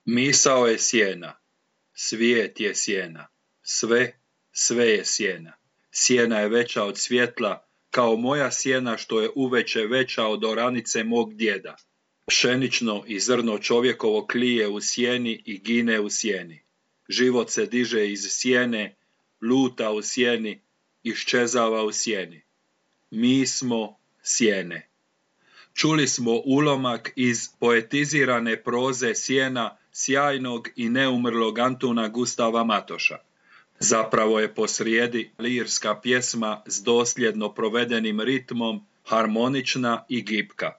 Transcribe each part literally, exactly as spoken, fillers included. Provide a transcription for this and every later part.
Misao je sjena, svijet je sjena, sve, sve je sjena. Sjena je veća od svjetla, kao moja sjena što je uveče veća od oranice mog djeda. Pšenično i zrno čovjekovo klije u sjeni i gine u sjeni. Život se diže iz sjene, luta u sjeni, iščezava u sjeni. Mi smo sjene. Čuli smo ulomak iz poetizirane proze sjena sjajnog i neumrlog Antuna Gustava Matoša. Zapravo je posrijedi lirska pjesma s dosljedno provedenim ritmom, harmonična i gibka.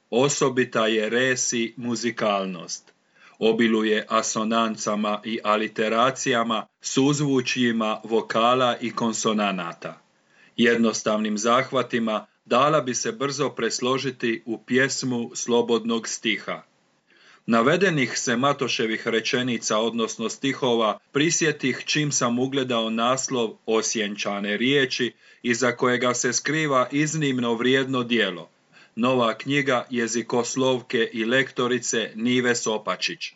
Osobita je resi muzikalnost. Obiluje asonancama i aliteracijama, suzvučjima vokala i konsonanata. Jednostavnim zahvatima dala bi se brzo presložiti u pjesmu slobodnog stiha. Navedenih se Matoševih rečenica, odnosno stihova, prisjetih čim sam ugledao naslov Osjenčane riječi, iza kojega se skriva iznimno vrijedno djelo. Nova knjiga jezikoslovke i lektorice Nive Sopačić.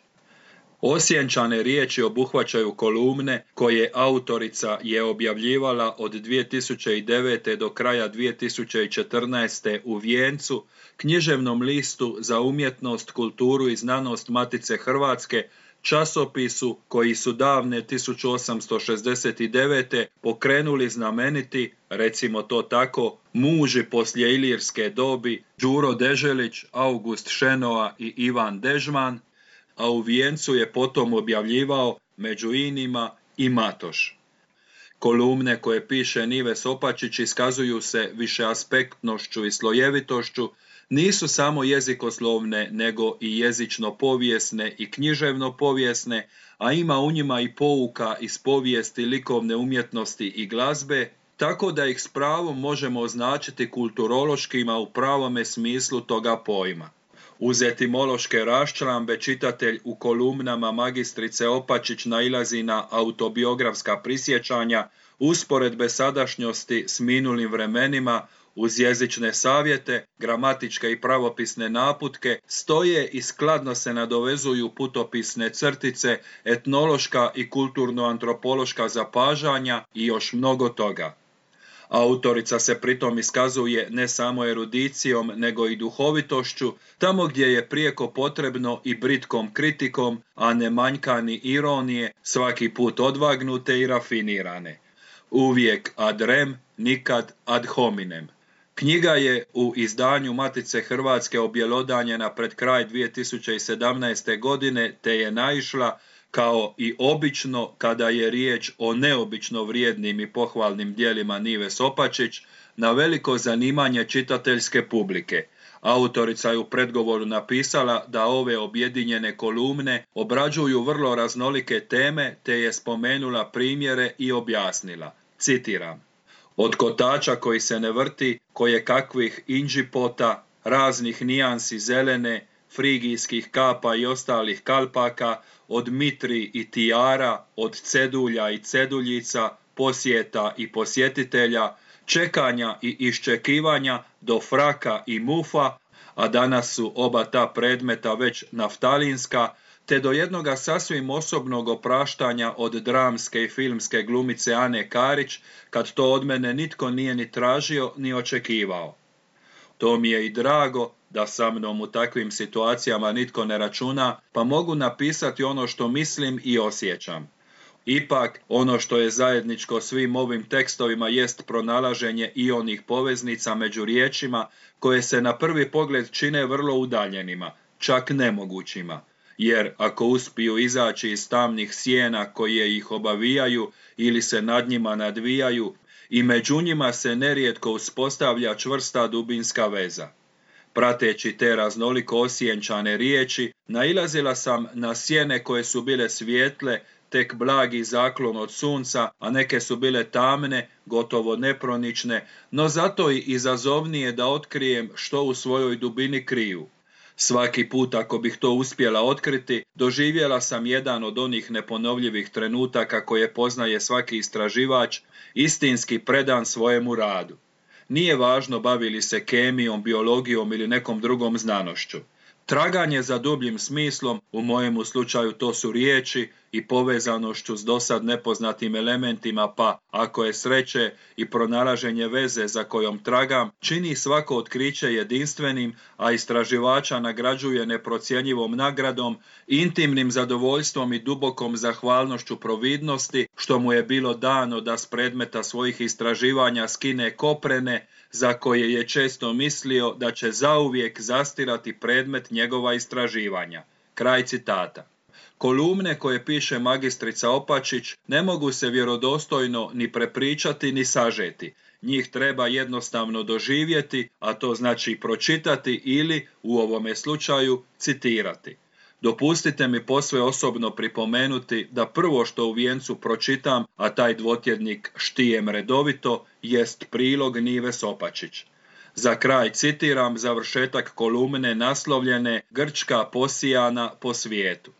Osjenčane riječi obuhvaćaju kolumne koje autorica je objavljivala od dvije tisuće devete. do kraja dvije tisuće četrnaeste. u Vijencu, književnom listu za umjetnost, kulturu i znanost Matice Hrvatske, časopisu koji su davne tisuću osamsto šezdeset devete. pokrenuli znameniti, recimo to tako, muži poslije ilirske dobi Đuro Deželić, August Šenoa i Ivan Dežman, a u Vijencu je potom objavljivao među inima i Matoš. Kolumne koje piše Nive Sopačić iskazuju se višeaspektnošću i slojevitošću, nisu samo jezikoslovne, nego i jezično-povijesne i književno-povijesne, a ima u njima i pouka iz povijesti likovne umjetnosti i glazbe, tako da ih s pravom možemo označiti kulturološkima u pravome smislu toga pojma. Uz etimološke raščlambe čitatelj u kolumnama magistrice Opačić nailazi na autobiografska prisjećanja, usporedbe sadašnjosti s minulim vremenima, uz jezične savjete, gramatičke i pravopisne naputke, stoje i skladno se nadovezuju putopisne crtice, etnološka i kulturno-antropološka zapažanja i još mnogo toga. Autorica se pritom iskazuje ne samo erudicijom, nego i duhovitošću, tamo gdje je prijeko potrebno i britkom kritikom, a ne manjka ni ironije, svaki put odvagnute i rafinirane. Uvijek ad rem, nikad ad hominem. Knjiga je u izdanju Matice Hrvatske objelodanjena pred kraj dvije tisuće sedamnaeste. godine, te je naišla, kao i obično kada je riječ o neobično vrijednim i pohvalnim djelima Nive Sopačić, na veliko zanimanje čitateljske publike. Autorica je u predgovoru napisala da ove objedinjene kolumne obrađuju vrlo raznolike teme, te je spomenula primjere i objasnila. Citiram: od kotača koji se ne vrti, koje kakvih inđipota, raznih nijansi zelene, frigijskih kapa i ostalih kalpaka, od mitri i tijara, od cedulja i ceduljica, posjeta i posjetitelja, čekanja i iščekivanja do fraka i mufa, a danas su oba ta predmeta već naftalinska, te do jednoga sasvim osobnog opraštanja od dramske i filmske glumice Ane Karić, kad to od mene nitko nije ni tražio ni očekivao. To mi je i drago da sa mnom u takvim situacijama nitko ne računa, pa mogu napisati ono što mislim i osjećam. Ipak, ono što je zajedničko svim ovim tekstovima jest pronalaženje i onih poveznica među riječima koje se na prvi pogled čine vrlo udaljenima, čak nemogućima. Jer ako uspiju izaći iz tamnih sjena koje ih obavijaju ili se nad njima nadvijaju, i među njima se nerijetko uspostavlja čvrsta dubinska veza. Prateći te raznoliko osjenčane riječi, nailazila sam na sjene koje su bile svijetle, tek blagi zaklon od sunca, a neke su bile tamne, gotovo nepronične, no zato i izazovnije da otkrijem što u svojoj dubini kriju. Svaki put ako bih to uspjela otkriti, doživjela sam jedan od onih neponovljivih trenutaka koje poznaje svaki istraživač, istinski predan svojemu radu. Nije važno bavili se kemijom, biologijom ili nekom drugom znanošću. Traganje za dubljim smislom, u mojemu slučaju to su riječi i povezanošću s dosad nepoznatim elementima, pa, ako je sreće, i pronalaženje veze za kojom tragam, čini svako otkriće jedinstvenim, a istraživača nagrađuje neprocjenjivom nagradom, intimnim zadovoljstvom i dubokom zahvalnošću providnosti, što mu je bilo dano da s predmeta svojih istraživanja skine koprene, za koje je često mislio da će zauvijek zastirati predmet njegova istraživanja. Kraj citata. Kolumne koje piše magistrica Opačić ne mogu se vjerodostojno ni prepričati ni sažeti. Njih treba jednostavno doživjeti, a to znači pročitati ili, u ovome slučaju, citirati. Dopustite mi posve osobno pripomenuti da prvo što u vijencu pročitam, a taj dvotjednik štijem redovito, jest prilog Nives Opačić. Za kraj citiram završetak kolumne naslovljene Grčka posijana po svijetu.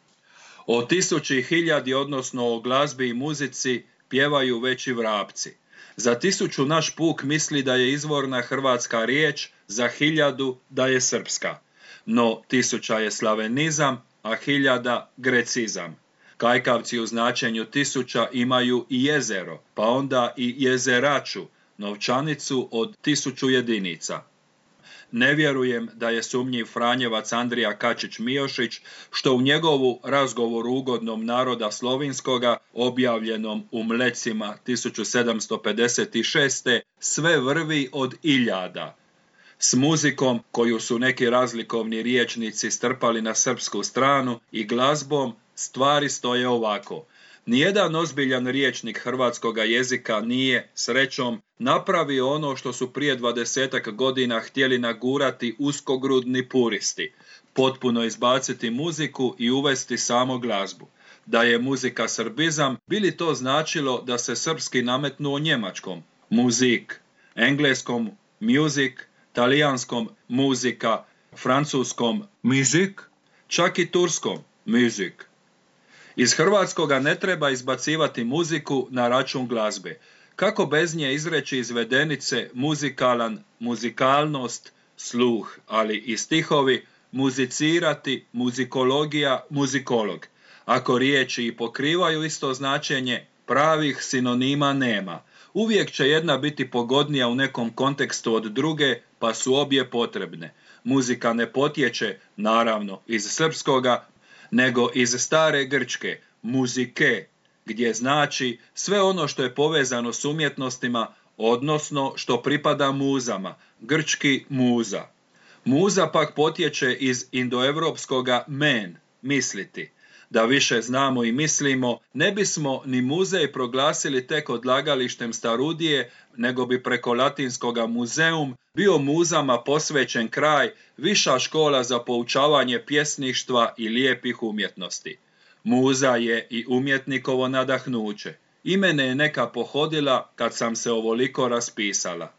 O tisući hiljadi, odnosno o glazbi i muzici, pjevaju već i vrapci. Za tisuću naš puk misli da je izvorna hrvatska riječ, za hiljadu da je srpska. No tisuća je slavenizam, a hiljada grecizam. Kajkavci u značenju tisuća imaju i jezero, pa onda i jezeraču, novčanicu od tisuću jedinica. Ne vjerujem da je sumnjiv Franjevac Andrija Kačić-Miošić, što u njegovu Razgovoru ugodnom naroda slovinskoga, objavljenom u Mlecima tisuću sedamsto pedeset šeste. sve vrvi od iljada. S muzikom, koju su neki razlikovni riječnici strpali na srpsku stranu, i glazbom stvari stoje ovako. Nijedan ozbiljan riječnik hrvatskoga jezika nije, srećom, napravio ono što su prije dvadesetak godina htjeli nagurati uskogrudni puristi, potpuno izbaciti muziku i uvesti samo glazbu. Da je muzika srbizam, bi li to značilo da se srpski nametnuo njemačkom muzik, engleskom music, talijanskom muzika, francuskom music, čak i turskom music. Iz hrvatskoga ne treba izbacivati muziku na račun glazbe. Kako bez nje izreći izvedenice muzikalan, muzikalnost, sluh, ali i stihovi, muzicirati, muzikologija, muzikolog. Ako riječi i pokrivaju isto značenje, pravih sinonima nema. Uvijek će jedna biti pogodnija u nekom kontekstu od druge, pa su obje potrebne. Muzika ne potječe, naravno, iz srpskoga, nego iz stare grčke, muzike, gdje znači sve ono što je povezano s umjetnostima, odnosno što pripada muzama, grčki muza. Muza pak potječe iz indoevropskoga men, misliti. Da više znamo i mislimo, ne bismo ni muzej proglasili tek odlagalištem starudije, nego bi preko latinskoga muzeum bio muzama posvećen kraj, viša škola za poučavanje pjesništva i lijepih umjetnosti. Muza je i umjetnikovo nadahnuće. I mene je neka pohodila kad sam se ovoliko raspisala.